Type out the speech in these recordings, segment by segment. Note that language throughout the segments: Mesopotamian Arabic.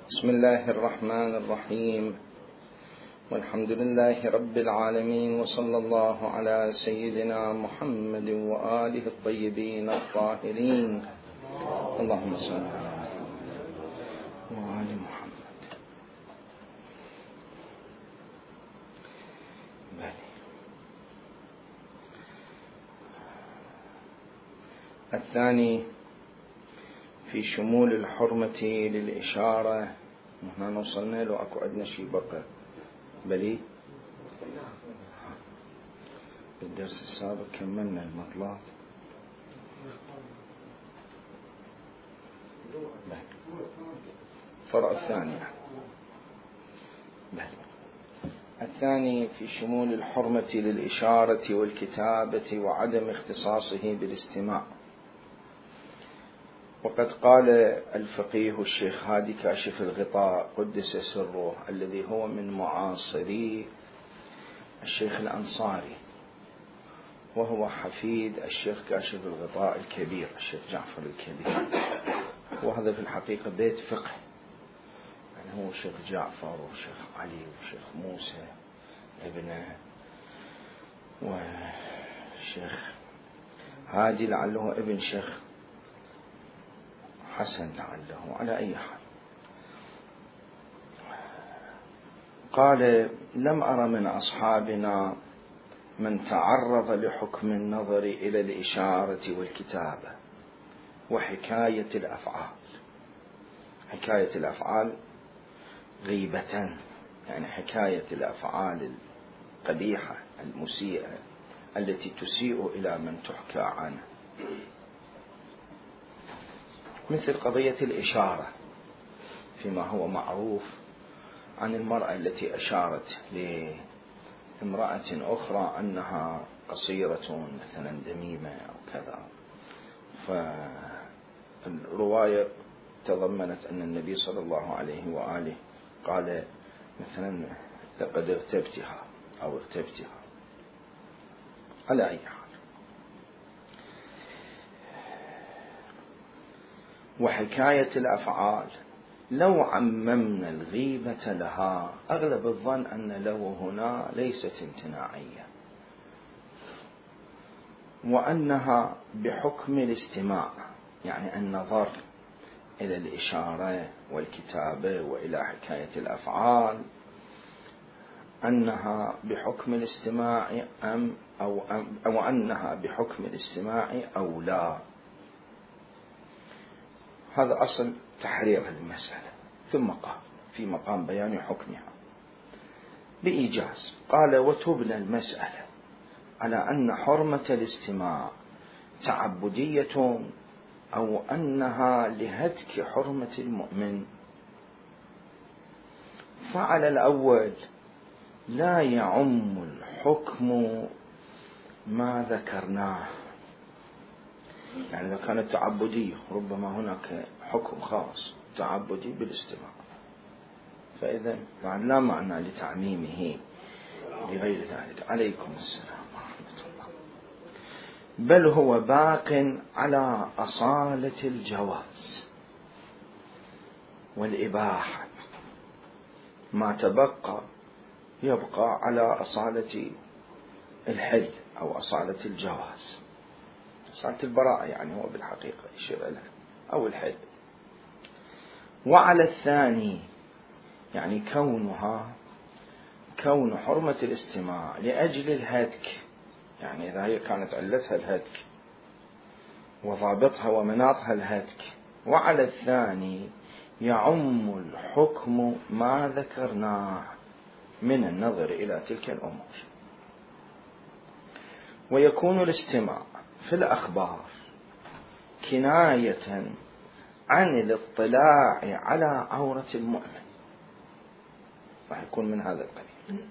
بسم الله الرحمن الرحيم، والحمد لله رب العالمين، وصلى الله على سيدنا محمد وآله الطيبين الطاهرين. اللهم صل على محمد وآل محمد. الثاني في شمول الحرمة للإشارة. نحن وصلنا له أكو عندنا شيء بقى بلي بالدرس السابق كملنا المطلب. فرع الثاني الثاني في شمول الحرمة للإشارة والكتابة وعدم اختصاصه بالاستماع. وقد قال الفقيه الشيخ هادي كاشف الغطاء قدس سره، الذي هو من معاصري الشيخ الأنصاري، وهو حفيد الشيخ كاشف الغطاء الكبير الشيخ جعفر الكبير، وهذا في الحقيقة بيت فقه، يعني هو الشيخ جعفر والشيخ علي والشيخ موسى ابنه والشيخ هادي لعله ابن شيخ حسن لعله. على أي حال قال: لم أر من أصحابنا من تعرض لحكم النظر إلى الإشارة والكتابة وحكاية الأفعال. حكاية الأفعال غيبة، يعني حكاية الأفعال القبيحة المسيئة التي تسيء إلى من تحكى عنه، مثل قضية الإشارة فيما هو معروف عن المرأة التي أشارت لامرأة أخرى أنها قصيرة مثلا دميمة أو كذا، فالرواية تضمنت أن النبي صلى الله عليه وآله قال مثلا: لقد اغتبتها أو اغتبتها. على أي حال، وحكاية الأفعال لو عممنا الغيبة لها أغلب الظن أن لو هنا ليست امتناعية، وأنها بحكم الاستماع، يعني النظر إلى الإشارة والكتابة وإلى حكاية الأفعال، أنها بحكم الاستماع أو أنها بحكم الاستماع أو لا. هذا أصل تحرير المسألة. ثم قال في مقام بيان حكمها بإيجاز، قال: وتبنى المسألة على أن حرمة الاستماع تعبدية أو أنها لهتك حرمة المؤمن. فعلى الأول لا يعم الحكم ما ذكرناه، يعني إذا كانت تعبدية ربما هناك حكم خاص تعبدي بالاستماع، فإذا لا معنى لتعميمه لغير ذلك. عليكم السلام ورحمة الله. بل هو باق على أصالة الجواز والإباحة، ما تبقى يبقى على أصالة الحل أو أصالة الجواز، أصالة البراءة، يعني هو بالحقيقة يشير لها، أو الحل. وعلى الثاني، يعني كون حرمة الاستماع لأجل الهتك، يعني إذا هي كانت علتها الهتك وضابطها ومناطها الهتك، وعلى الثاني يعم الحكم ما ذكرناه من النظر إلى تلك الأمور. ويكون الاستماع في الأخبار كناية عن الاطلاع على عورة المؤمن، راح يكون من هذا القبيل.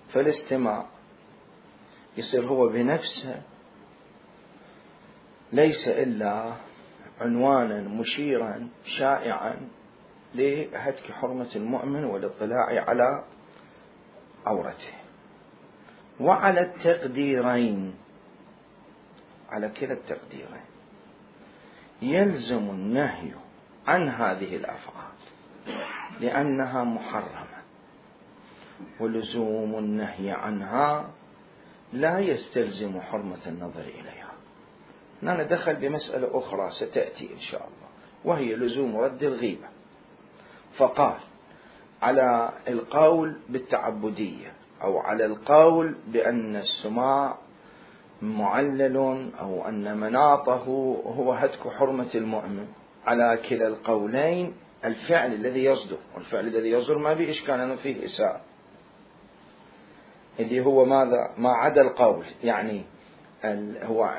فالاستماع يصير هو بنفسه ليس إلا عنوانا مشيرا شائعا لهتك حرمة المؤمن والاطلاع على عورته. وعلى التقديرين، على كلا التقديرين، يلزم النهي عن هذه الأفعال لأنها محرمة، ولزوم النهي عنها لا يستلزم حرمة النظر إليها. هنا ندخل بمسألة أخرى ستأتي إن شاء الله، وهي لزوم رد الغيبة. فقال على القول بالتعبدية أو على القول بأن السماع معلل أو أن مناطه هو هتك حرمة المؤمن، على كلا القولين الفعل الذي يصدر، والفعل الذي يصدر ما به إشكال أنه فيه إساءة، اللي هو ماذا؟ ما عدا القول، يعني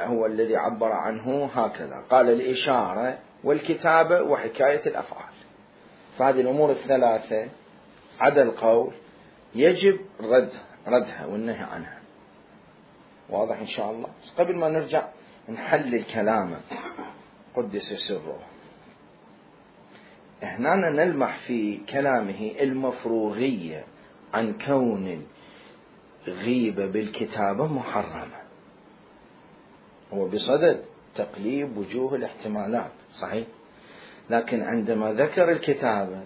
هو الذي عبر عنه هكذا، قال الإشارة والكتابة وحكاية الأفعال. فهذه الأمور الثلاثة عدا القول يجب ردها والنهي عنها. واضح إن شاء الله؟ قبل ما نرجع نحلل كلامه قدس سره، هنا نلمح في كلامه المفروغية عن كون الغيبة بالكتابة محرمة، هو بصدد تقليب وجوه الاحتمالات، صحيح، لكن عندما ذكر الكتابة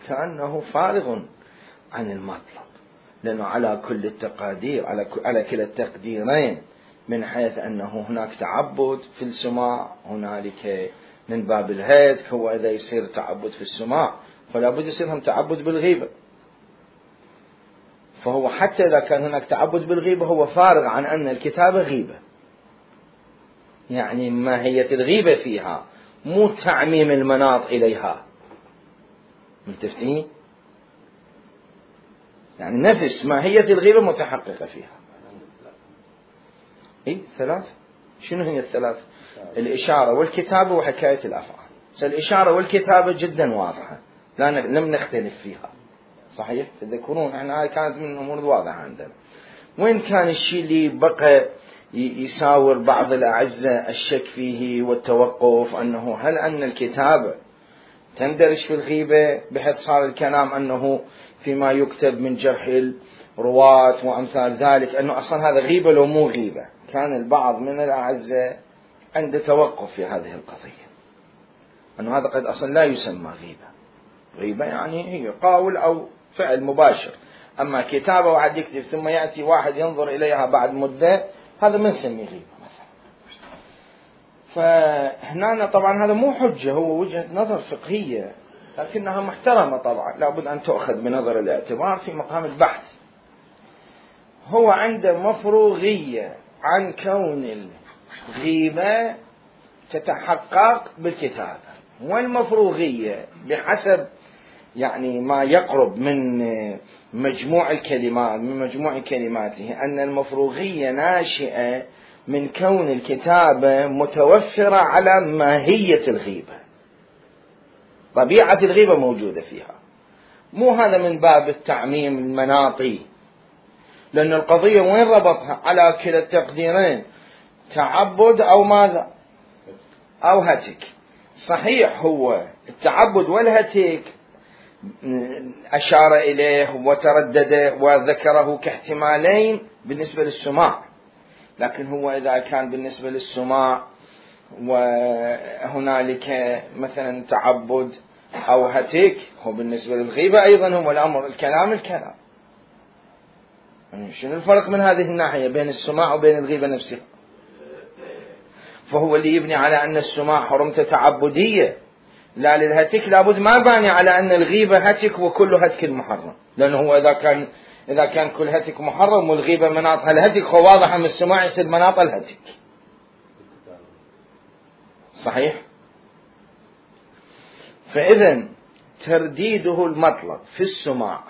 كأنه فارغ عن المطلب، لأنه على كل التقادير، على كلا التقديرين، من حيث أنه هناك تعبد في السماع، هنالك من باب الهتك، هو إذا يصير تعبد في السماع فلا بد يصير هم تعبد بالغيبة. فهو حتى إذا كان هناك تعبد بالغيبة هو فارغ عن أن الكتابة غيبة، يعني ماهية الغيبة فيها مو تعميم المناط إليها، متفقين؟ يعني نفس ماهية الغيبة متحققة فيها. ثلاث، شنو هي الثلاث؟ الإشارة والكتابة وحكاية الأفعال. الإشارة والكتابة جدا واضحة، لم نختلف فيها، صحيح؟ تذكرون احنا هاي كانت من الأمور الواضحة عندنا. وين كان الشيء اللي بقى يساور بعض الأعزة الشك فيه والتوقف، أنه هل أن الكتابة تندرج في الغيبة، بحيث صار الكلام أنه فيما يكتب من جرح الرواة وأمثال ذلك، أنه أصلا هذا غيبة لو مو غيبة. كان البعض من الأعزة عنده توقف في هذه القضية، أنه هذا قد أصلا لا يسمى غيبة. غيبة يعني هي قول أو فعل مباشر، أما كتابة واحد يكتب ثم يأتي واحد ينظر إليها بعد مدة، هذا ما نسميه غيبة مثلا. فهنا طبعا هذا مو حجة، هو وجهة نظر فقهية لكنها محترمة طبعا، لابد أن تؤخذ بنظر الاعتبار في مقام البحث. هو عنده مفروغية عن كون الغيبة تتحقق بالكتابة، والمفروغية بحسب يعني ما يقرب من مجموع الكلمات، من مجموع كلماته، أن المفروغية ناشئة من كون الكتابة متوفرة على ماهية الغيبة، طبيعة الغيبة موجودة فيها، مو هذا من باب التعميم المناطي، لأن القضية وين ربطها؟ على كلا التقديرين، تعبد أو ماذا؟ أو هتك. صحيح هو التعبد والهتك أشار إليه وتردد وذكره كاحتمالين بالنسبة للسماع، لكن هو إذا كان بالنسبة للسماع وهنالك مثلا تعبد أو هتك، هو بالنسبة للغيبة أيضا هو الأمر الكلام. شنو الفرق من هذه الناحية بين السماع وبين الغيبة نفسها؟ فهو اللي يبني على أن السماع حرمته تعبدية، لا للهتك لابد ما باني على أن الغيبة هتك وكل هتك محرم، لأنه هو إذا كان كل هتك محرم والغيبة مناطها الهتك، هو واضح أن السماع يصير مناط الهتك، صحيح؟ فإذا ترديده المطلق في السماع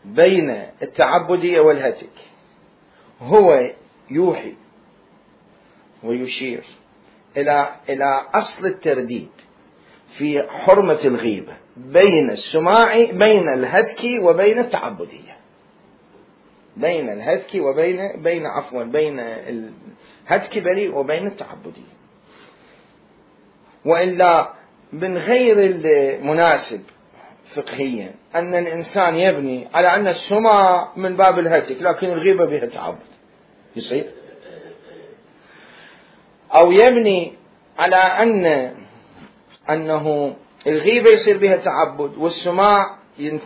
بين التعبدية والهتك هو يوحي ويشير إلى أصل الترديد في حرمة الغيبة بين السماع، بين الهتك وبين التعبدية، بين الهتك بين الهتك بريء وبين التعبدية. وإلا من غير المناسب فقهيا أن الإنسان يبني على أن السماع من باب الهتك لكن الغيبة بها تعبد، يصير؟ أو يبني على أن أنه الغيبة يصير بها تعبد والسماع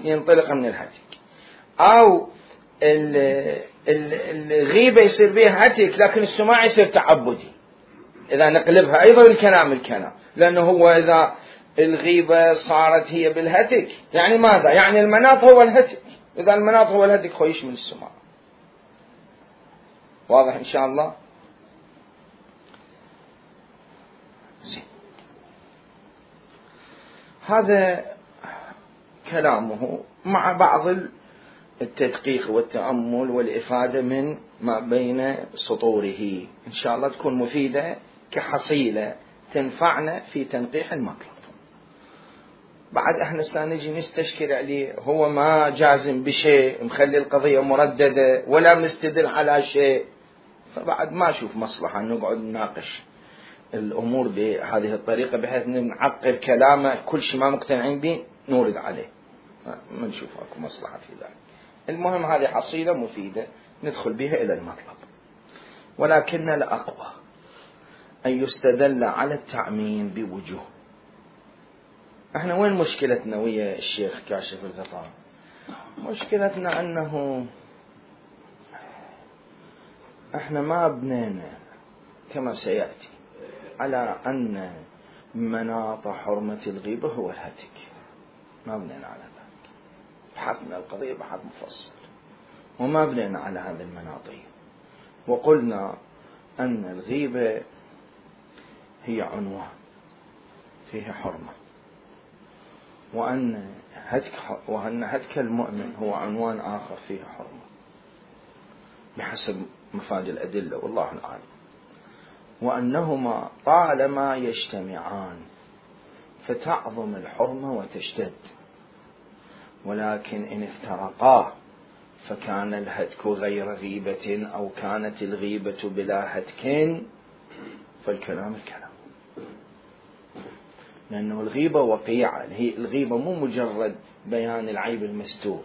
ينطلق من الهتك، أو الغيبة يصير بها هتك لكن السماع يصير تعبدي. إذا نقلبها أيضا الكلام، لأنه هو إذا الغيبة صارت هي بالهتك يعني ماذا؟ يعني المناط هو الهتك، إذا المناط هو الهتك هو يشمل السماع. واضح إن شاء الله؟ زين. هذا كلامه مع بعض التدقيق والتأمل والإفادة من ما بين سطوره، إن شاء الله تكون مفيدة كحصيلة تنفعنا في تنقيح المطلب. بعد احنا سنجي نستشكل عليه، هو ما جازم بشيء، مخلي القضية مرددة ولا مستدل على شيء، فبعد ما أشوف مصلحة أن نقعد نناقش الأمور بهذه الطريقة بحيث نعقر كلامه كل شيء ما مقتنعين به نورد عليه، ما نشوف أكو مصلحة في ذلك. المهم هذه حصيلة مفيدة ندخل بها إلى المطلب. ولكن الأقوى أن يستدل على التعميم بوجوه. احنا وين مشكلتنا ويا الشيخ كاشف الغطاء؟ مشكلتنا أنه احنا ما بنينا كما سيأتي على أن مناط حرمة الغيبة هو الهتك، ما بنينا على ذلك، بحثنا القضية بحث مفصل وما بنينا على هذه المناطية، وقلنا أن الغيبة هي عنوان فيه حرمة، وأن هتك المؤمن هو عنوان آخر فيه حرمة بحسب مفاد الأدلة والله أعلم، وأنهما طالما يجتمعان فتعظم الحرمة وتشتد، ولكن إن افترقا فكان الهتك غير غيبة أو كانت الغيبة بلا هتك فالكلام الكلام، لأنه الغيبة وقيعة، الغيبة مو مجرد بيان العيب المستور.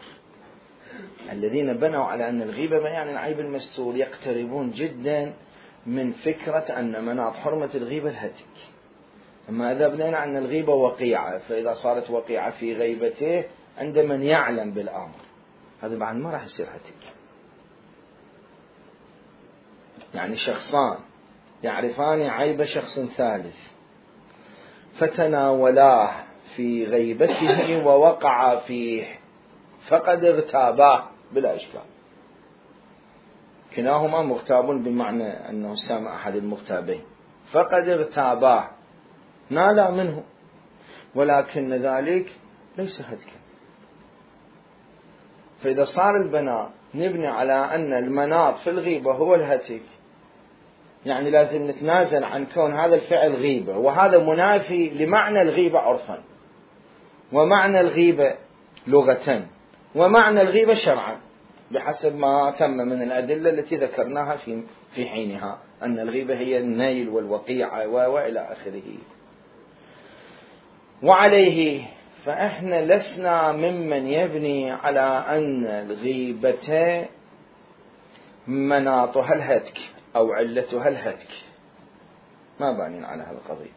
الذين بنوا على أن الغيبة بيان العيب المستور يقتربون جدا من فكرة أن مناط حرمة الغيبة الهتك. أما إذا بنينا عن الغيبة وقيعة، فإذا صارت وقيعة في غيبته عند من يعلم بالأمر، هذا بعد ما راح يصير هتك. يعني شخصان يعرفان عيب شخص ثالث فتناولاه في غيبته ووقع فيه فقد اغتاباه بلا إشكال، كلاهما مغتاب بمعنى أنه سامع أحد المغتابين، فقد اغتاباه نالا منه، ولكن ذلك ليس هتكا. فإذا صار البناء نبني على أن المناط في الغيبة هو الهتك، يعني لازم نتنازل عن كون هذا الفعل غيبة، وهذا منافي لمعنى الغيبة عرفا ومعنى الغيبة لغة ومعنى الغيبة شرعا بحسب ما تم من الأدلة التي ذكرناها في حينها، أن الغيبة هي النيل والوقيعة وإلى آخره. وعليه فإحنا لسنا ممن يبني على أن الغيبة مناطها الهتك أو علتها الهتك، ما بانين على هذا القضية.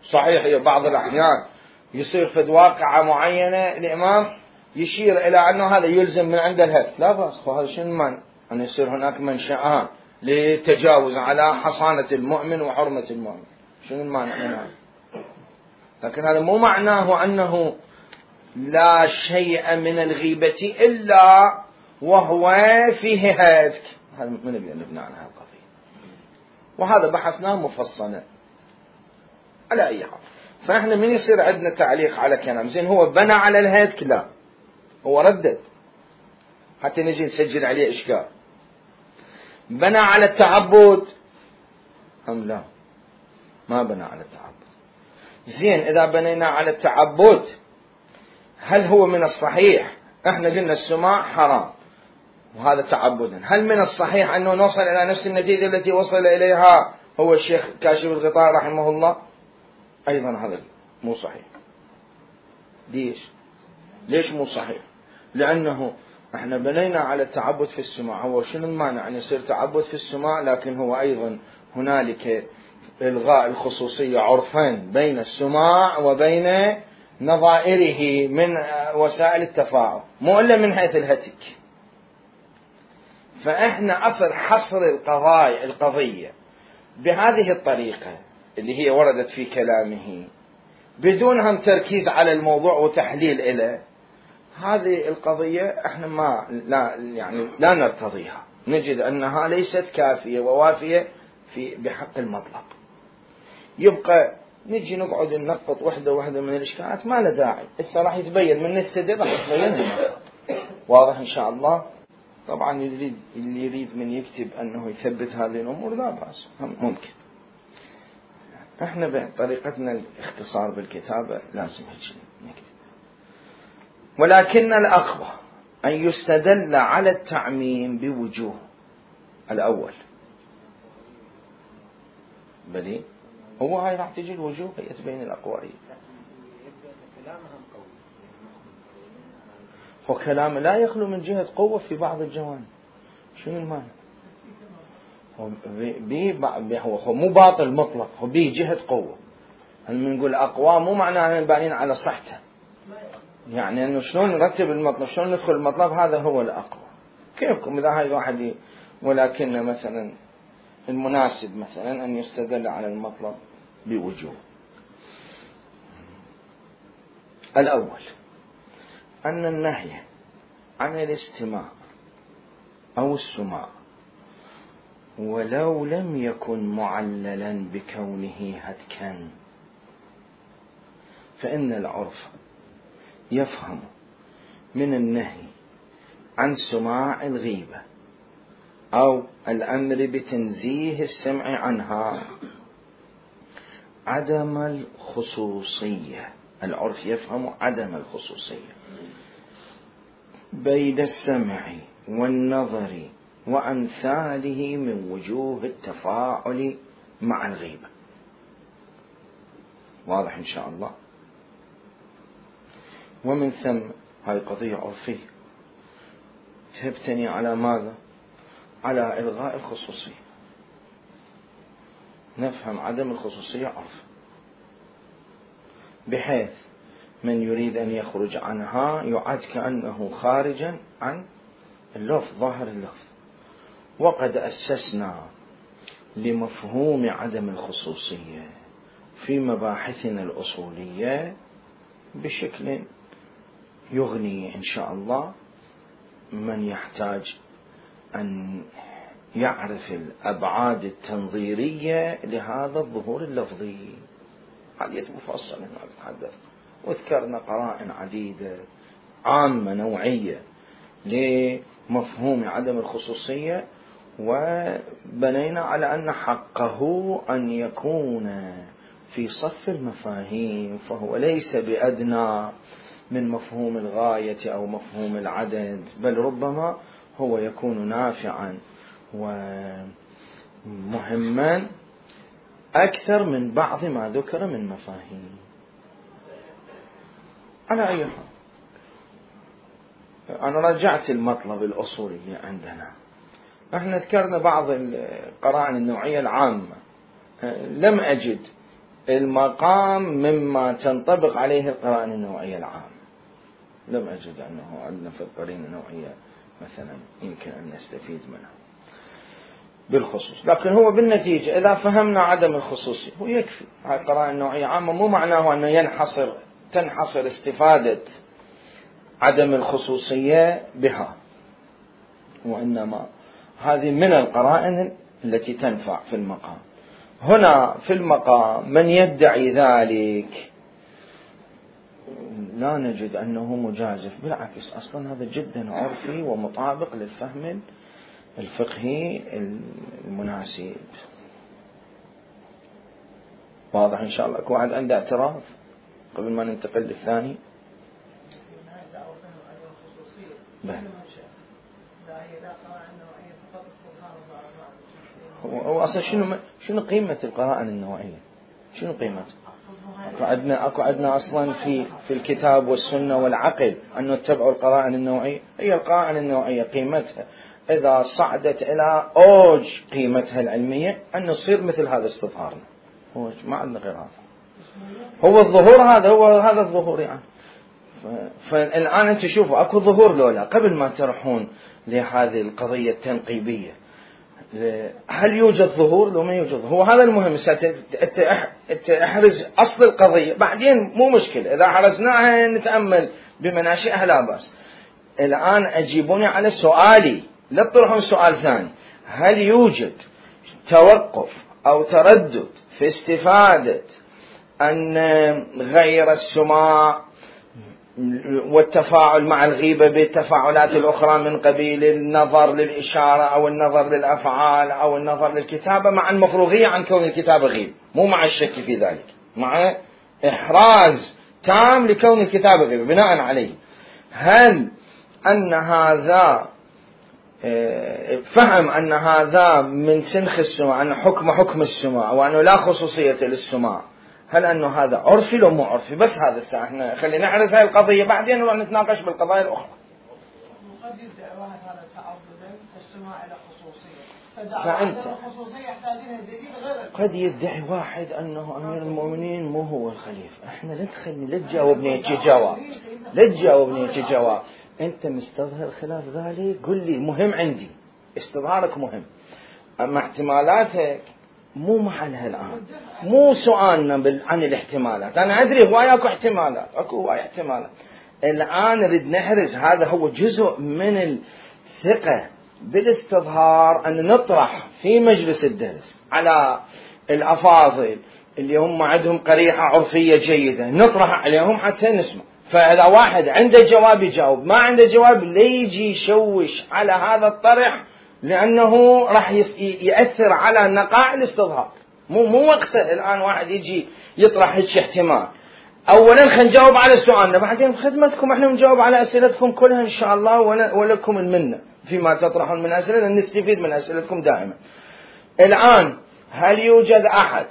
صحيح هي بعض الأحيان يصير في واقعة معينة الإمام يشير إلى أنه هذا يلزم من عند الهتك، لا بأس، وهذا شنو المانع أن يصير هناك منشأان للتجاوز على حصانة المؤمن وحرمة المؤمن، شنو المانع من هذا؟ لكن هذا مو معناه أنه لا شيء من الغيبة إلا وهو فيه هتك، هذا من نبني عن هذه القضية، وهذا بحثناه مفصلا على أي حال. فإحنا من يصير عندنا تعليق على كلام زين هو بنى على الهتك؟ لا، هو ردد حتى نجي نسجل عليه إشكال. بنى على التعبد أم لا؟ ما بنى على التعبد. زين إذا بنينا على التعبد هل هو من الصحيح؟ احنا قلنا السماع حرام وهذا تعبدا، هل من الصحيح أنه نوصل إلى نفس النتيجة التي وصل إليها هو الشيخ كاشف الغطاء رحمه الله؟ أيضا هذا مو صحيح. ليش مو صحيح؟ لأنه احنا بنينا على التعبد في السماع، هو شنو المانع أن يصير تعبد في السماع لكن هو أيضا هنالك إلغاء الخصوصية عرفين بين السماع وبين نظائره من وسائل التفاعل، مو إلا من حيث الهتك. فإحنا أصل حصر القضية بهذه الطريقة اللي هي وردت في كلامه بدون هم تركيز على الموضوع وتحليل إله، هذه القضية احنا لا نرتضيها، نجد أنها ليست كافية ووافية بحق المطلب. يبقى نجي نقعد ننقط وحدة من الإشكالات ما له داعي، هسه راح يتبين من نستدل راح يتبين المطلب. واضح إن شاء الله. طبعا اللي يريد من يكتب أنه يثبت هذه الأمور لا بأس، ممكن. احنا بطريقتنا الاختصار بالكتابة لازم هيك نكتب. ولكن الأقوى أن يستدل على التعميم بوجوه. الأول بلي هو هاي راح تجي الوجوه هي تبين الأقوى. هو كلام لا يخلو من جهة قوة في بعض الجوانب. شنو المعنى؟ هو مو باطل مطلق، هو به جهة قوة. هل نقول أقوى مو معناه بانين على صحته، يعني أنه شلون نرتب المطلب، شلون ندخل المطلب، هذا هو الأقوى. كيفكم إذا هاي واحد ولكن مثلا المناسب مثلا أن يستدل على المطلب بوجوه. الأول أن النهي عن الاستماع أو السماع ولو لم يكن معللا بكونه هتكا، فإن العرف يفهم من النهي عن سماع الغيبة أو الأمر بتنزيه السمع عنها عدم الخصوصية. العرف يفهم عدم الخصوصية بين السمع والنظر وأمثاله من وجوه التفاعل مع الغيبة. واضح إن شاء الله. ومن ثم هاي قضية عرفية تبتني على ماذا؟ على إلغاء الخصوصية. نفهم عدم الخصوصية عرف، بحيث من يريد أن يخرج عنها يعد كأنه خارجا عن اللفظ، ظاهر اللفظ. وقد أسسنا لمفهوم عدم الخصوصية في مباحثنا الأصولية بشكل يغني إن شاء الله من يحتاج أن يعرف الأبعاد التنظيرية لهذا الظهور اللفظي. حديث مفصل هنا أتحدث، وذكرنا قرائن عديدة عامة نوعية لمفهوم عدم الخصوصية، وبنينا على أن حقه أن يكون في صف المفاهيم، فهو ليس بأدنى من مفهوم الغاية أو مفهوم العدد، بل ربما هو يكون نافعا ومهما أكثر من بعض ما ذكر من مفاهيم. على أي حال أنا رجعت المطلب الأصولي عندنا. احنا ذكرنا بعض القرائن النوعية العامة، لم أجد المقام مما تنطبق عليه القرائن النوعية العامة، لم أجد أنه عندنا في القرائن النوعية مثلا يمكن أن نستفيد منها بالخصوص. لكن هو بالنتيجة إذا فهمنا عدم الخصوصية هو يكفي. هاي القرائن النوعية عامة مو معناه أنه تنحصر استفادة عدم الخصوصية بها، وإنما هذه من القرائن التي تنفع في المقام. هنا في المقام من يدعي ذلك لا نجد أنه مجازف، بالعكس أصلا هذا جدا عرفي ومطابق للفهم الفقهي المناسب. واضح إن شاء الله. كل واحد عنده اعتراض قبل ما ننتقل للثاني؟ هو أصلا شنو قيمة القرائن النوعية؟ شنو قيمتها؟ أكو عندنا أصلا في الكتاب والسنة والعقل أن نتبع القرائن النوعية. هي القرائن النوعية قيمتها إذا صعدت إلى أوج قيمتها العلمية أن نصير مثل هذا استظهارنا. هو ما عندنا غير هذا، هو الظهور هذا الظهور يعني. فالآن أنت شوفوا أكو ظهور لولا قبل ما تروحون لهذه القضية التنقيبية، هل يوجد ظهور لو ما يوجد؟ هو هذا المهم. احرز أصل القضية بعدين مو مشكلة، إذا حرزناها نتأمل بمناشئها لا بأس. الآن أجيبوني على سؤالي، لا تطرحون سؤال ثاني. هل يوجد توقف أو تردد في استفادة أن غير السماع والتفاعل مع الغيبة بالتفاعلات الأخرى من قبيل النظر للإشارة أو النظر للأفعال أو النظر للكتابة، مع المفروغية عن كون الكتابة غيب، مو مع الشك في ذلك، مع إحراز تام لكون الكتابة غيب بناء عليه؟ هل أن هذا فهم أن هذا من سنخ السماع، أن حكم السماع وأنه لا خصوصية للسماع، هل أنه هذا عرفي لو مو عرفي؟ بس هذا الساعة احنا خلينا نحرز هاي القضية بعدين نروح نتناقش بالقضايا الأخرى. قد يدعي واحد هذا تعبدا السماع إلى خصوصية، قد يدعي واحد أنه أمير المؤمنين مو هو الخليفة. احنا لا تخلي لا تجاوبني جواب. أنت مستظهر خلاف ذلك قل لي، مهم عندي استظهارك مهم، أما احتمالاتك مو محلها الآن، مو سؤالنا عن الاحتمالات. أنا أدري هواي أكو احتمالات، الآن نريد نحرز، هذا هو جزء من الثقة بالاستظهار، أن نطرح في مجلس الدرس على الأفاضل اللي هم عندهم قريحة عرفية جيدة، نطرح عليهم حتى نسمع. فإذا واحد عنده جواب يجاوب، ما عنده جواب لا يجي يشوش على هذا الطرح، لأنه راح يأثر على نقاع الاستظهار. مو وقته الآن واحد يجي يطرح هيك احتمال. أولا خلينا نجاوب على سؤالنا، بعدين بخدمتكم احنا نجاوب على أسئلتكم كلها إن شاء الله، ولكم المنة فيما تطرحون من أسئلة، نستفيد من أسئلتكم دائما. الآن هل يوجد أحد،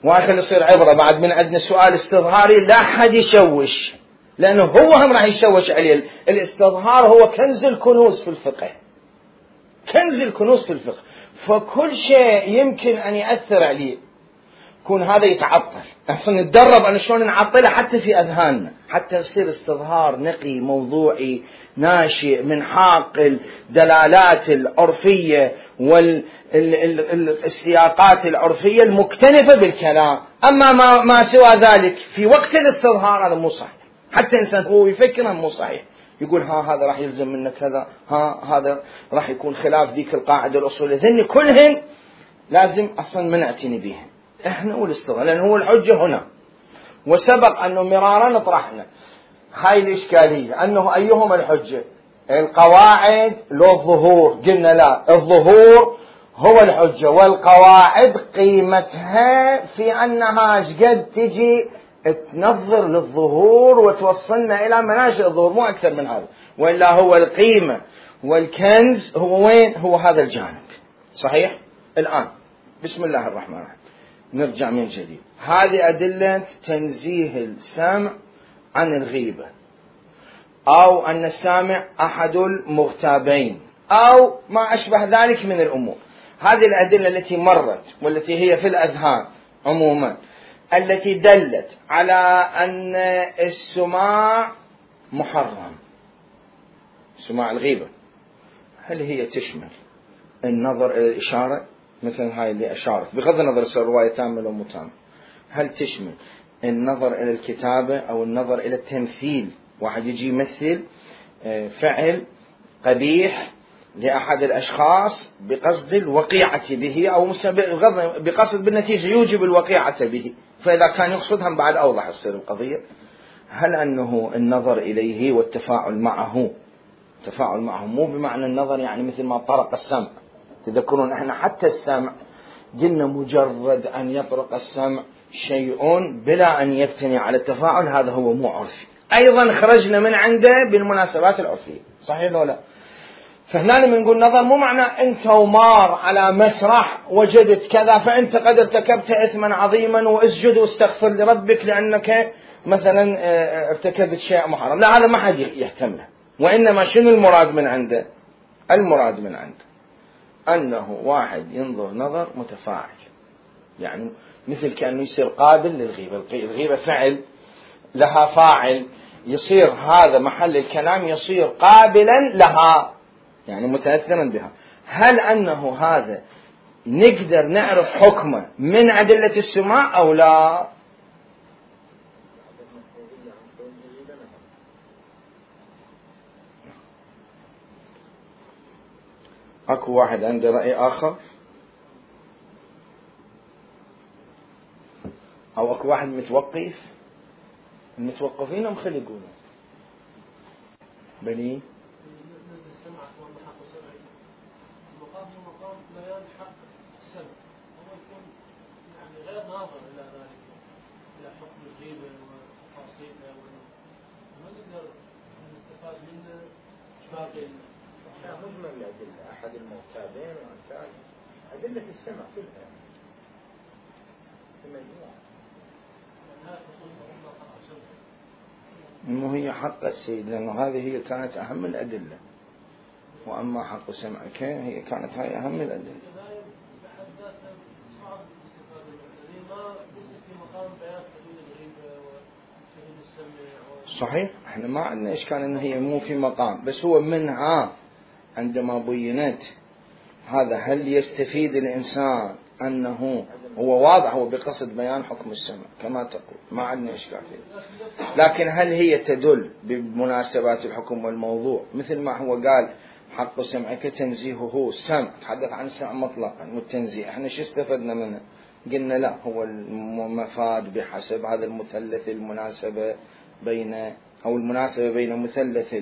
وآخر يصير عبرة بعد من عندنا سؤال استظهاري لا حد يشوش، لأنه هو هم راح يشوش عليه. الاستظهار هو كنز الكنوز في الفقه، كنز الكنوز في الفقه، فكل شيء يمكن أن يأثر عليه يكون هذا يتعطل. أصلا نتدرب أن شلون نعطله حتى في أذهاننا، حتى يصير استظهار نقي موضوعي ناشئ من حاق الدلالات العرفية والسياقات العرفية المكتنفة بالكلام. أما ما سوى ذلك في وقت الاستظهار هذا مو صحيح، حتى إنسان هو يفكر مو صحيح، يقول هذا راح يلزم منك كذا، هذا راح يكون خلاف ذيك القاعدة الأصولية، ذني كلهن لازم أصلا ما نعتني بيهن احنا والاستظهار، لأن هو الحجة هنا. وسبق أنه مرارا طرحنا هاي الإشكالية، أنه أيهما الحجة، القواعد لو الظهور؟ قلنا لا، الظهور هو الحجة، والقواعد قيمتها في أنها قد تجي تنظر للظهور وتوصلنا إلى مناشئ الظهور، مو أكثر من هذا. وإلا هو القيمة والكنز هو وين؟ هو هذا الجانب. صحيح؟ الآن بسم الله الرحمن الرحيم نرجع من جديد. هذه أدلة تنزيه السامع عن الغيبة، أو أن السامع أحد المغتابين، أو ما أشبه ذلك من الأمور. هذه الأدلة التي مرت والتي هي في الأذهان عموما، التي دلت على أن السماع محرم، سماع الغيبة، هل هي تشمل النظر إلى الإشارة مثل هاي اللي أشارت بغض النظر الرواية تامة أو متامة؟ هل تشمل النظر إلى الكتابة أو النظر إلى التمثيل، واحد يجي يمثل فعل قبيح لأحد الأشخاص بقصد الوقيعة به، أو بقصد بالنتيجة يوجب الوقيعة به، فإذا كان يقصدها بعد أوضح تصير القضية. هل أنه النظر إليه والتفاعل معه، تفاعل معه مو بمعنى النظر يعني مثل ما طرق السمع، تذكرون احنا حتى السمع قلنا مجرد أن يطرق السمع شيء بلا أن يفتني على التفاعل، هذا هو مو عرفي، أيضا خرجنا من عنده بالمناسبات العرفية. صحيح ولا لا؟ فهنا لما نقول نظر مو معنى أنت ومار على مسرح وجدت كذا فأنت قد ارتكبت إثما عظيما واسجد واستغفر لربك لأنك مثلا ارتكبت شيء محرم، لا، هذا ما حد يحتمله. وإنما شنو المراد من عنده؟ المراد من عنده أنه واحد ينظر نظر متفاعل، يعني مثل كأنه يصير قابل للغيبة. الغيبة فعل لها فاعل، يصير هذا محل الكلام يصير قابلا لها، يعني متأثرا بها. هل أنه هذا نقدر نعرف حكمه من أدلة السماع أو لا؟ أكو واحد عنده رأي آخر؟ أو أكو واحد متوقف؟ المتوقفين هم خلي يقولوا بني المقام هو مقام بيان حق السمع، هو يكون يعني غير ناظر إلى ذلك، إلى حكم الغيبة وتفاصيلها، وما نقدر نستفاد منه باقي مجمل الأدلة. أحد المعتادين وأمثال أدلة السمع كلها في مجموعة، إنه هي حق السيد، لأنه هذه هي كانت أهم الأدلة، وأما حق سمعك هي كانت هاي أهم الأدلة. صحيح، احنا ما عندنا إشكال إن هي مو في مقام، بس هو منها عندما بينت هذا هل يستفيد الإنسان أنه هو واضح، هو بقصد بيان حكم السمع كما تقول، ما عندنا إشكال فيه. لكن هل هي تدل بمناسبات الحكم والموضوع، مثل ما هو قال حق سمعك تنزيهه السمع، تحدث عن السمع مطلقا والتنزيه، احنا شو استفدنا منه؟ قلنا لا، هو المفاد بحسب هذا المثلث المناسبة بين، أو المناسبة بين مثلث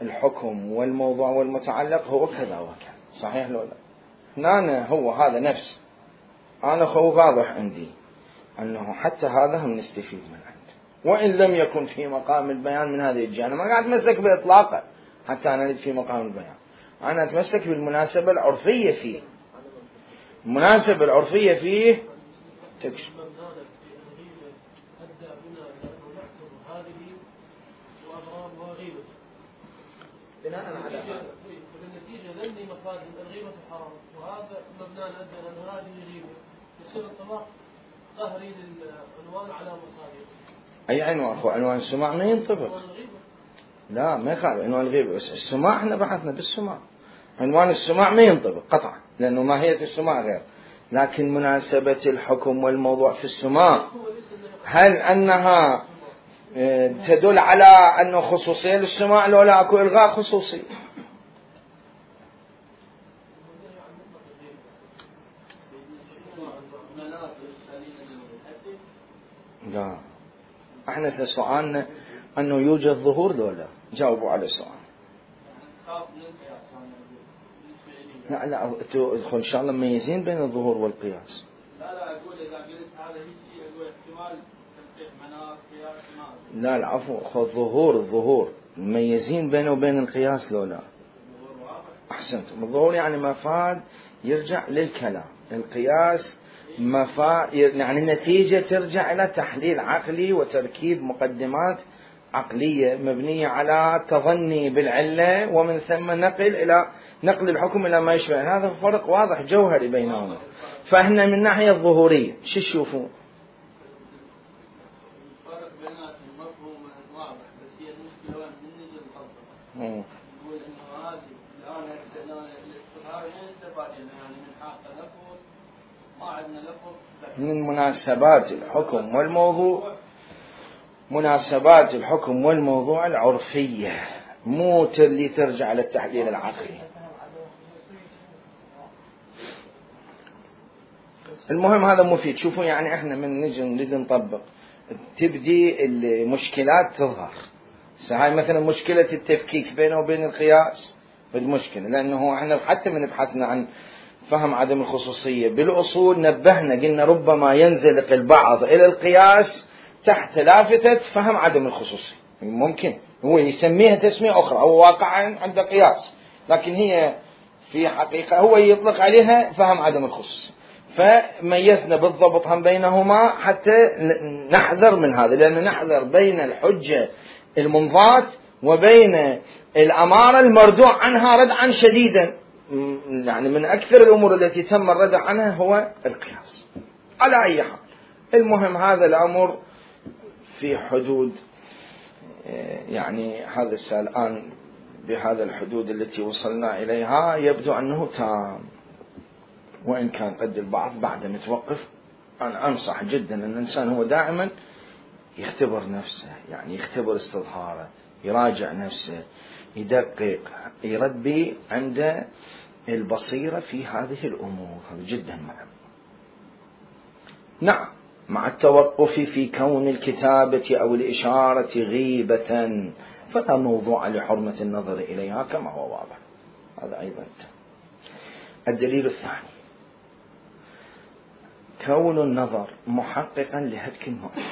الحكم والموضوع والمتعلق هو كذا وكذا. صحيح لو لا؟ أنا هو هذا نفس، أنا هو واضح عندي أنه حتى هذا هم نستفيد من عنده، وإن لم يكن في مقام البيان من هذه الجهة. أنا ما قاعد أتمسك بإطلاقه حتى أنا أريد في مقام البيان، أنا أتمسك بالمناسبة العرفية فيه. المناسبة العرفية فيه تكشف بناء على هذا بالنتيجة لأني مفاد الغيبة حرام، وهذا مبنى أدى أن هذه غيبة، يصير الطلاق قهري للعنوان على مصادر. أي عنوان؟ أخو عنوان السماع ما ينطبق. لا ما يخالف عنوان الغيبة، بس السماع احنا بحثنا بالسماع، عنوان السماع ما ينطبق قطعا، لأنه ماهية السماع غير. لكن مناسبة الحكم والموضوع في السماع هل أنها تدل على أنه خصوصية للسماع لو لا أكو إلغاء خصوصي؟ لا، احنا سؤالنا أنه يوجد ظهور لو لا، جاوبوا على السؤال. لا إن شاء الله مميزين بين الظهور والقياس. لا أقول إذا قلت هذا شيء أقول احتمال تنقيح مناط قياس ما. لا العفو، الظهور مميزين بينه وبين القياس لو لا؟ أحسنتم. الظهور يعني مفاد يرجع للكلام، القياس مفاد يعني النتيجة ترجع إلى تحليل عقلي وتركيب مقدمات عقلية مبنية على تظني بالعلة، ومن ثم نقل الحكم إلى ما يشبه. هذا فرق واضح جوهري بينهما. فإحنا من ناحية الظهورية شو تشوفوا؟ الفرق بيناتهم مفهوم واضح، بس هي المشكلة وين من نجي نطبق. نقول إنه هذه الآن الاستفهام يستفاد يعني من حق لفظ ما عندنا لفظ من مناسبات الحكم والموضوع، مناسبات الحكم والموضوع العرفية، مو اللي ترجع للتحليل العقلي. المهم هذا مفيد. شوفوا يعني احنا من نجي نريد نطبق تبدي المشكلات تظهر. هاي مثلا مشكلة التفكيك بينه وبين القياس بالمشكلة، لأنه احنا حتى من بحثنا عن فهم عدم الخصوصية بالأصول نبهنا قلنا ربما ينزلق البعض إلى القياس تحت لافتة فهم عدم الخصوصية. ممكن هو يسميها تسمية أخرى أو واقعا عند قياس، لكن هي في حقيقة هو يطلق عليها فهم عدم الخصوصية. فميزنا بالضبط هم بينهما حتى نحذر من هذا، لأن نحذر بين الحجة المنضات وبين الأمارة المردوع عنها ردعا شديدا. يعني من أكثر الأمور التي تم الردع عنها هو القياس على أي حال. المهم هذا الأمر في حدود، يعني هذا الآن بهذا الحدود التي وصلنا إليها يبدو أنه تام، وإن كان قد البعض بعد متوقف. أنا أنصح جدا أن الإنسان هو دائما يختبر نفسه، يعني يختبر استظهاره، يراجع نفسه، يدقق، يربي عند البصيرة في هذه الأمور. هذا جدا مهم. نعم، مع التوقف في كون الكتابة أو الإشارة غيبة فلا موضوع لحرمة النظر إليها كما هو واضح. هذا أيضا. الدليل الثاني كون النظر محققا لهتك المؤمن،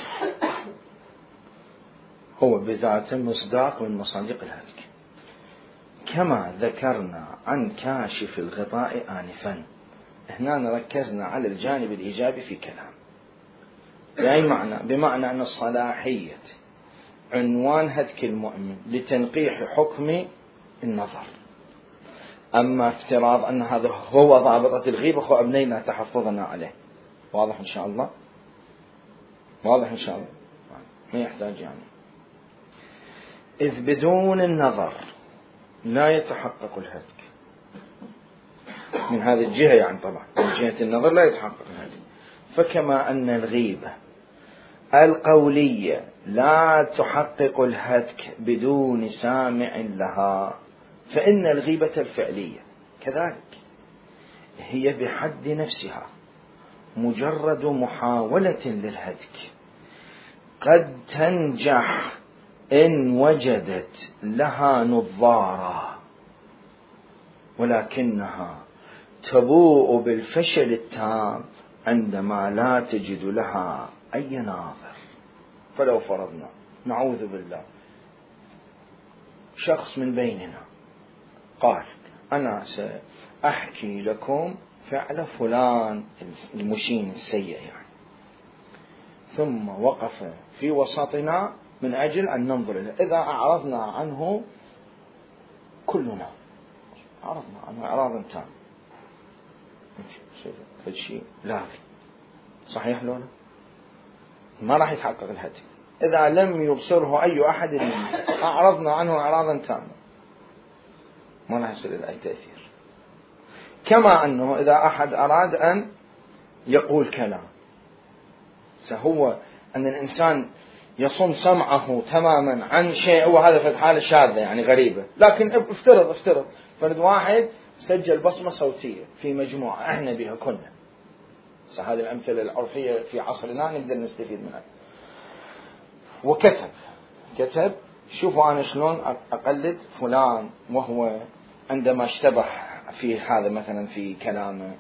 هو بذاته مصداق من مصادق الهتك، كما ذكرنا عن كاشف الغطاء آنفا. هنا ركزنا على الجانب الإيجابي في كلام، يعني بمعنى أن الصلاحية عنوان هتك المؤمن لتنقيح حكم النظر. أما افتراض أن هذا هو ضابطة الغيبة فأبنينا تحفظنا عليه. واضح إن شاء الله؟ واضح إن شاء الله، ما يحتاج يعني. إذ بدون النظر لا يتحقق الهتك من هذه الجهة، يعني طبعا من جهة النظر لا يتحقق الهتك. فكما أن الغيبة القولية لا تحقق الهتك بدون سامع لها، فإن الغيبة الفعلية كذلك هي بحد نفسها مجرد محاولة للهتك، قد تنجح إن وجدت لها نظارة، ولكنها تبوء بالفشل التام عندما لا تجد لها أي ناظر. فلو فرضنا، نعوذ بالله، شخص من بيننا قال أنا سأحكي لكم فعل فلان المشين السيء يعني، ثم وقف في وسطنا من أجل أن ننظر إليه. إذا أعرضنا عنه كلنا، أعرضنا عنه إعراضا تام، فالشيء لاغي، صحيح لولا؟ ما راح يتحقق الهتك إذا لم يبصره أي أحد منا. أعرضنا عنه إعراضا تاما، ما راح يصير له أي تأثير. كما أنه إذا أحد أراد أن يقول كلام، فهو أن الإنسان يصم سمعه تماما عن شيء، وهذا في الحالة شاذة يعني غريبة، لكن افترض فرد واحد سجل بصمة صوتية في مجموعة احنا بها كلنا، هذه الأمثلة العرفية في عصرنا نقدر نستفيد منها، وكتب شوفوا أنا شلون أقلد فلان وهو عندما اشتبه في هذا مثلا في كلامه،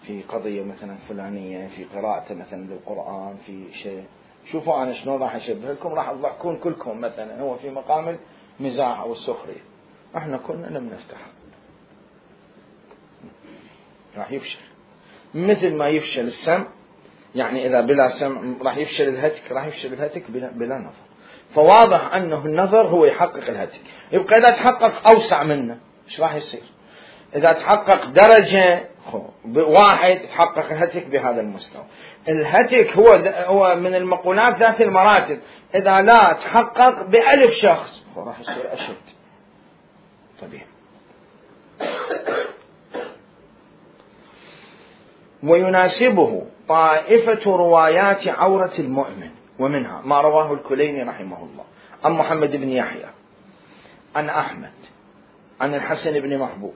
في قضية مثلا فلانية، في قراءته مثلا للقرآن، في شيء، شوفوا أنا شلون راح أشبه لكم، راح تضحكون كلكم مثلا، هو في مقام المزاح أو السخرية، احنا كلنا لم نفتح، راح يفشل. مثل ما يفشل السمع، يعني إذا بلا سمع راح يفشل الهتك، راح يفشل الهتك بلا نظر. فواضح أنه النظر هو يحقق الهتك. يبقى إذا تحقق أوسع منه إيش راح يصير؟ إذا تحقق درجة واحد تحقق الهتك بهذا المستوى. الهتك هو من المقولات ذات المراتب، إذا لا تحقق بألف شخص راح يصير أشد. طبيعي. ويناسبه طائفة روايات عورة المؤمن، ومنها ما رواه الكليني رحمه الله عن محمد بن يحيى عن أحمد عن الحسن بن محبوب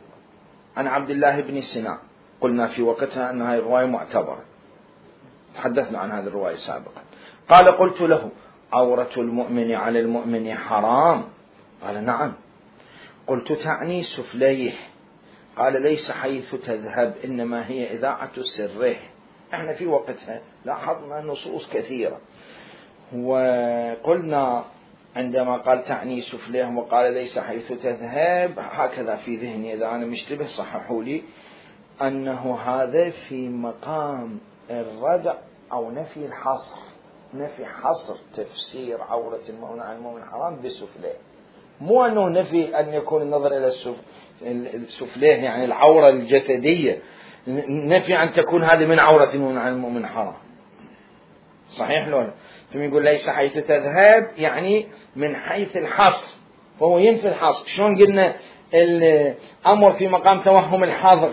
عن عبد الله بن سنان. قلنا في وقتها أن هذه الرواية معتبرة، تحدثنا عن هذه الرواية سابقا. قال قلت له عورة المؤمن على المؤمن حرام؟ قال نعم. قلت تعني سفليه؟ قال ليس حيث تذهب، إنما هي إذاعة سره. احنا في وقتها لاحظنا نصوص كثيرة، وقلنا عندما قال تعني سفليه وقال ليس حيث تذهب، هكذا في ذهني، إذا أنا مشتبه صححوا لي، أنه هذا في مقام الردع أو نفي الحصر، نفي حصر تفسير عورة المؤمن على المؤمن حرام بالسفليه، مو أنه نفي أن يكون النظر إلى السفليه يعني العورة الجسدية، نفي أن تكون هذه من عورة المؤمن على المؤمن حرام. صحيح لولا؟ ثم يقول ليس حيث تذهب يعني من حيث الحصر، فهو ينفي الحصر. شلون قلنا الأمر في مقام توهم الحظر،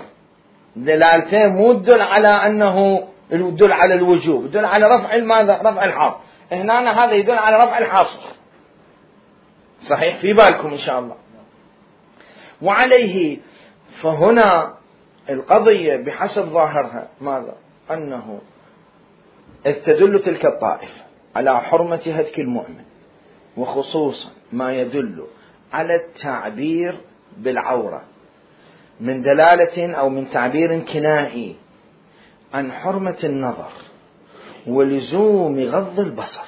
دلالته مو تدل على أنه يدل على الوجوب، يدل على رفع ماذا؟ رفع الحظر. هنا هذا يدل على رفع الحصر. صحيح؟ في بالكم إن شاء الله. وعليه فهنا القضية بحسب ظاهرها ماذا؟ أنه تدل تلك الطائفة على حرمة هتك المؤمن، وخصوصا ما يدل على التعبير بالعورة من دلالة أو من تعبير كنائي عن حرمة النظر ولزوم غض البصر.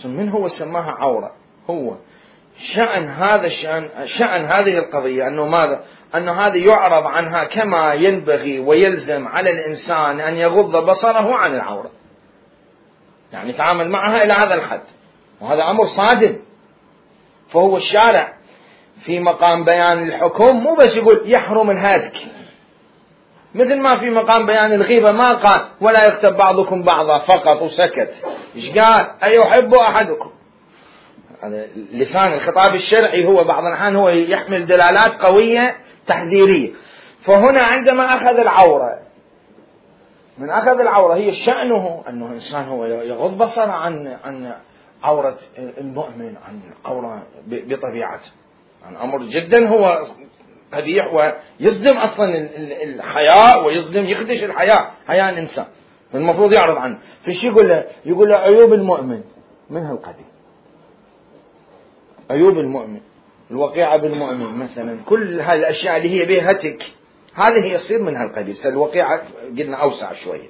من هو سماها عورة؟ هو شأن هذا شأن هذه القضية أنه ماذا؟ أنه هذا يعرض عنها كما ينبغي ويلزم على الإنسان أن يغض بصره عن العورة، يعني يتعامل معها إلى هذا الحد، وهذا أمر صادم. فهو الشارع في مقام بيان الحكم مو بس يقول يحرم الهتك، مثل ما في مقام بيان الغيبة ما قال ولا يغتب بعضكم بعضا فقط وسكت. إيش قال؟ أيحب أحدكم. هذا لسان الخطاب الشرعي هو بعض الأحيان هو يحمل دلالات قوية تحذيرية. فهنا عندما أخذ العورة، من أخذ العورة هي شأنه أنه إنسان هو يغض بصره عن عورة المؤمن، عن عورة بطبيعته، عن أمر جدا هو قبيح ويصدم أصلا الحياء ويصدم يخدش حياء الإنسان، المفروض يعرض عنه. فشي يقول له عيوب المؤمن من هالقبيل، عيوب المؤمن، الوقيعة بالمؤمن مثلا، كل هذه الأشياء اللي هي بها هتك هذه يصير من هالقبيل. الوقيعة قلنا أوسع شوية.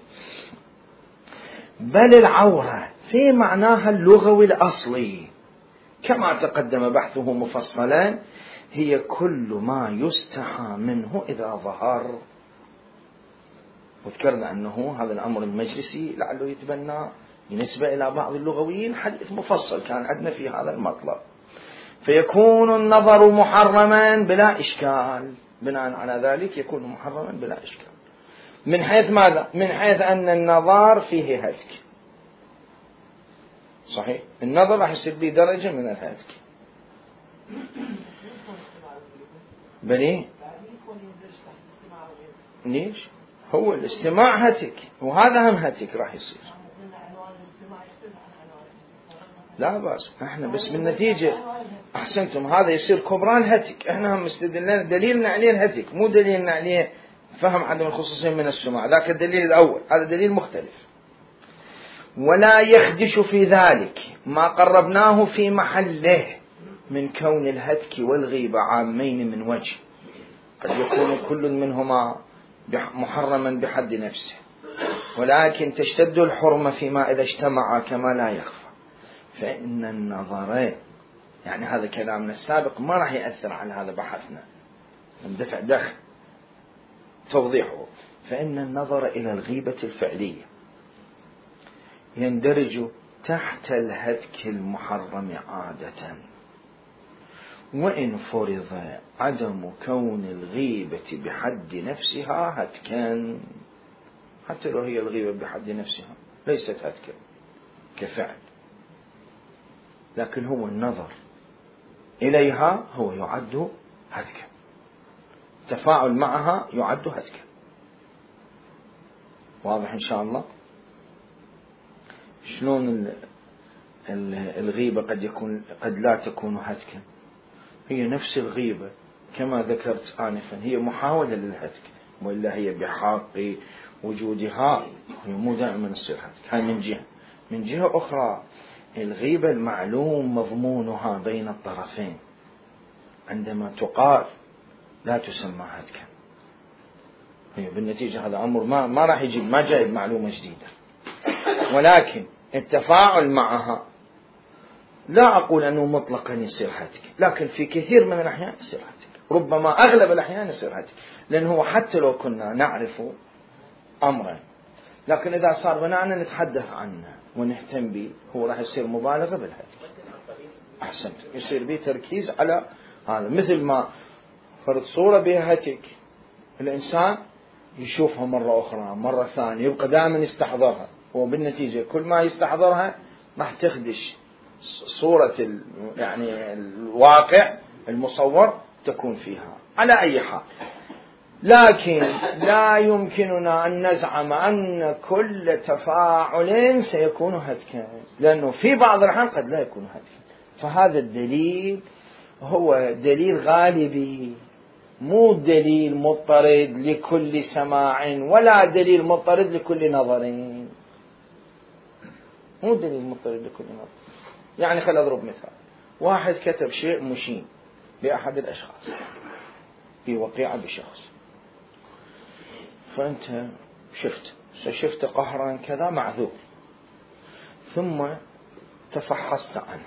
بل العورة في معناها اللغوي الأصلي كما تقدم بحثه مفصلا هي كل ما يستحى منه إذا ظهر. وذكرنا أنه هذا الأمر المجلسي لعله يتبنى بالنسبة إلى بعض اللغويين حديث مفصل كان عندنا في هذا المطلب. فيكون النظر محرما بلا إشكال، بناء على ذلك يكون محرما بلا إشكال. من حيث ماذا؟ من حيث أن النظر فيه هتك. صحيح، النظر راح يصير به درجة من الهتك. بلي ليش؟ هو الاستماع هتك، وهذا هم هتك راح يصير. لا بأس، احنا بس بالنتيجة احسنتم هذا يصير كبران هتك، احنا هم مستدلنا دليلنا عليه الهتك، مو دليلنا عليه فهم عدم الخصوصية من السماع، ذاك الدليل الأول، هذا دليل مختلف. ولا يخدش في ذلك ما قربناه في محله من كون الهتك والغيبة عامين من وجه، قد يكون كل منهما محرما بحد نفسه، ولكن تشتد الحرمة فيما إذا اجتمع كما لا يخفى. فإن النظر، يعني هذا كلامنا السابق ما راح يأثر على هذا بحثنا، ندفع دخل توضيحه. فإن النظر إلى الغيبة الفعلية يندرج تحت الهتك المحرم عادة، وإن فرض عدم كون الغيبة بحد نفسها هتكا، حتى لو هي الغيبة بحد نفسها ليست هتكا كفعل، لكن هو النظر إليها هو يعد هتكا، التفاعل معها يعد هتكا. واضح إن شاء الله؟ شلون الغيبة قد لا تكون هتكا، هي نفس الغيبة كما ذكرت آنفا هي محاولة للهتك، وإلا هي بحق وجودها هي مو دائما تصير هتك. هاي من جهة. من جهة أخرى الغيبة المعلوم مضمونها بين الطرفين عندما تقال لا تسمى هتكا، هي بالنتيجة هذا أمر ما راح يجيب، ما جايب معلومة جديدة، ولكن التفاعل معها لا أقول أنه مطلقا يصير هتك، لكن في كثير من الأحيان يصير هتك، ربما أغلب الأحيان يصير هتك، لأنه حتى لو كنا نعرف أمرا، لكن إذا صار بناءنا نتحدث عنه ونهتم به هو راح يصير مبالغة بالهتك. أحسنت، يصير به تركيز على هذا، مثل ما فرض صورة بها هتك الإنسان يشوفها مرة أخرى مرة ثانية يبقى دائما يستحضرها، وبالنتيجة كل ما يستحضرها راح تخدش صورة يعني الواقع المصور تكون فيها على أي حال. لكن لا يمكننا أن نزعم أن كل تفاعل سيكون هتكا، لأنه في بعض الأحيان قد لا يكون هتكا. فهذا الدليل هو دليل غالبي، مو دليل مضطرد لكل سماع ولا دليل مضطرد لكل نظر، مو دليل مضطرد لكل نظر. يعني خل أضرب مثال، واحد كتب شيء مشين بأحد الأشخاص في وقيعة بشخص، فأنت شفت قهرا كذا معذور، ثم تفحصت عنه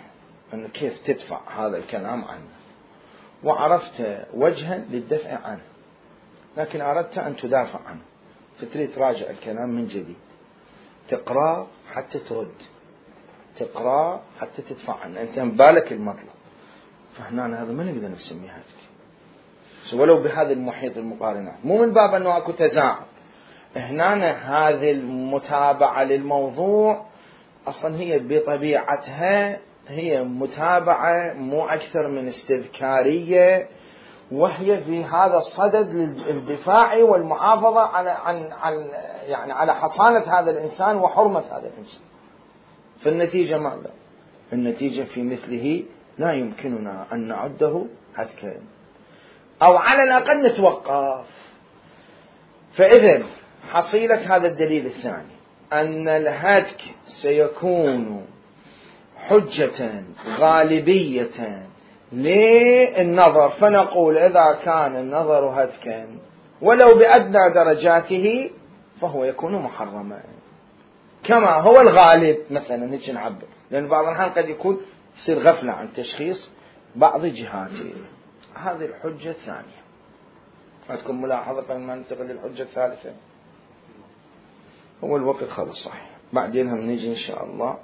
أنه كيف تدفع هذا الكلام عنه، وعرفت وجها للدفع عنه، لكن أردت أن تدافع عنه، فتريد تراجع الكلام من جديد، تقرأ حتى ترد، تقرأ حتى تدفع عنه، أنت بالك المطلب. فهنا هذا ما نقدر نسميه هتك، ولو بهذا المحيط المقارنات، مو من باب أنه أكو تزاعم. هنا هذه المتابعة للموضوع أصلا هي بطبيعتها هي متابعة مو أكثر من استذكارية، وهي في هذا الصدد للدفاع والمحافظة على حصانة هذا الإنسان وحرمة هذا الإنسان. فالنتيجة ماذا؟ النتيجة في مثله لا يمكننا أن نعده هتكا، أو على الأقل نتوقف. فإذن حصيلة هذا الدليل الثاني أن الهتك سيكون حجة غالبية للنظر، فنقول إذا كان النظر هتكا ولو بأدنى درجاته فهو يكون محرما، كما هو الغالب مثلا. هيك نعبر، لأن بعض الأحيان قد يكون يصير غفلة عن تشخيص بعض جهاته. هذه الحجة الثانية. عندكم ملاحظة قبل ما ننتقل للحجة الثالثة؟ هو الوقت خلص صحيح، بعدين هم نيجي إن شاء الله